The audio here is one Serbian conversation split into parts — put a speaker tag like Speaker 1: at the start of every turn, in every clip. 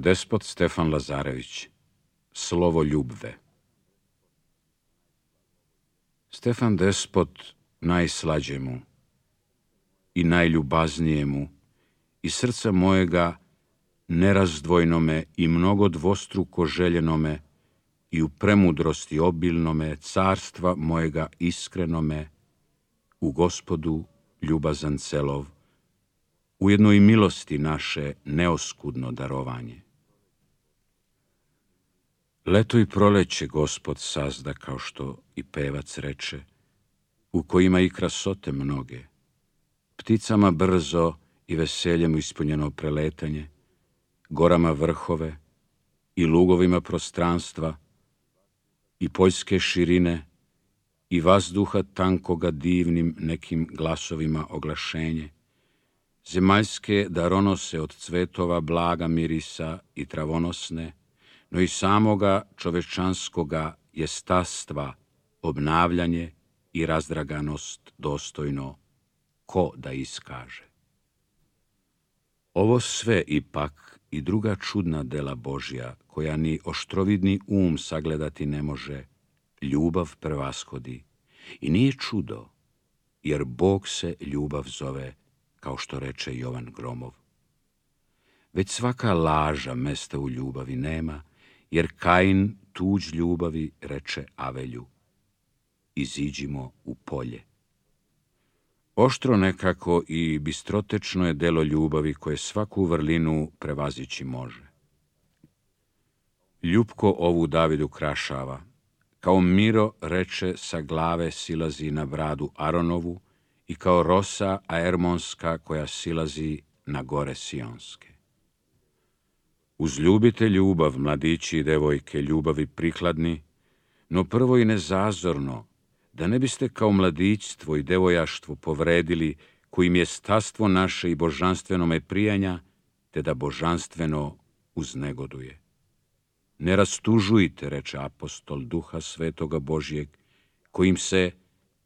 Speaker 1: Despot Stefan Lazarević, Slovo ljubve. Stefan Despot najslađemu i najljubaznijemu i srca mojega nerazdvojnome i mnogo dvostruko željenome i u premudrosti obilnome carstva mojega iskrenome u Gospodu ljubazan celov, ujedno i milosti naše neoskudno darovanje. Leto i proleće Gospod sazda, kao što i pevac reče, u kojima i krasote mnoge, pticama brzo i veseljem ispunjeno preletanje, gorama vrhove i lugovima prostranstva i poljske širine i vazduha tankoga divnim nekim glasovima oglašenje, zemaljske daronose od cvetova blaga mirisa i travonosne, no i samoga čovečanskoga jestastva obnavljanje i razdraganost dostojno, ko da iskaže. Ovo sve ipak i druga čudna dela Božja, koja ni oštrovidni sagledati ne može, ljubav prevashodi. I nije čudo, jer Bog se ljubav zove, kao što reče Jovan Gromov. Već svaka laža mesta u ljubavi nema, jer Kain tuđ ljubavi reče Avelju: iziđimo u polje. Oštro nekako i bistrotečno je delo ljubavi koje svaku vrlinu prevazići može. Ljupko ovu Davidu krašava, kao Miro reče sa glave silazi na bradu Aronovu i kao rosa aermonska koja silazi na gore Sionske. Uzljubite ljubav, mladići i devojke, ljubavi prikladni, no prvo i nezazorno, da ne biste kao mladićstvo i devojaštvo povredili, kojim je stastvo naše i božanstvenome prijanja, te da božanstveno uznegoduje. Ne rastužujte, reče apostol, duha svetoga Božjeg, kojim se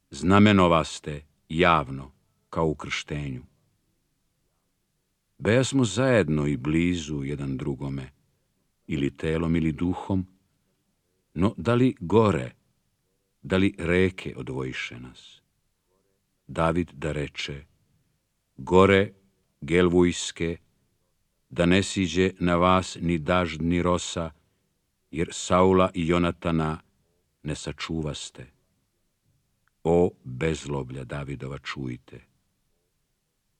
Speaker 1: znamenovaste javno, kao u krštenju. Bejasmo zajedno i blizu jedan drugome, ili telom ili duhom, no da li gore, da li reke odvojiše nas? David da reče: gore Gelvujske, da ne siđe na vas ni dažd ni rosa, jer Saula i Jonatana ne sačuvaste. O bezloblja Davidova, čujte.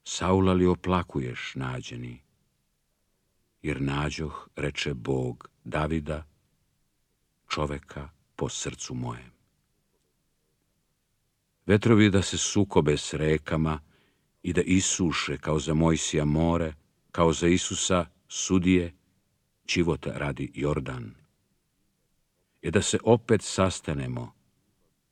Speaker 1: Saula li oplakuješ, nađeni? Jer nađoh, reče Bog, Davida, čoveka po srcu mojem. Vetrovi da se sukobe s rekama i da isuše kao za Mojsija more, kao za Isusa sudije, čivota radi Jordan. I da se opet sastanemo,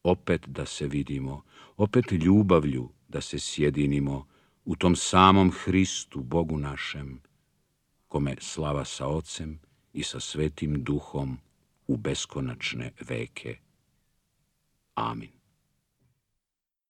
Speaker 1: opet da se vidimo, opet ljubavlju da se sjedinimo u tom samom Hristu, Bogu našem, kome slava sa Ocem i sa Svetim Duhom u beskonačne veke. Amin.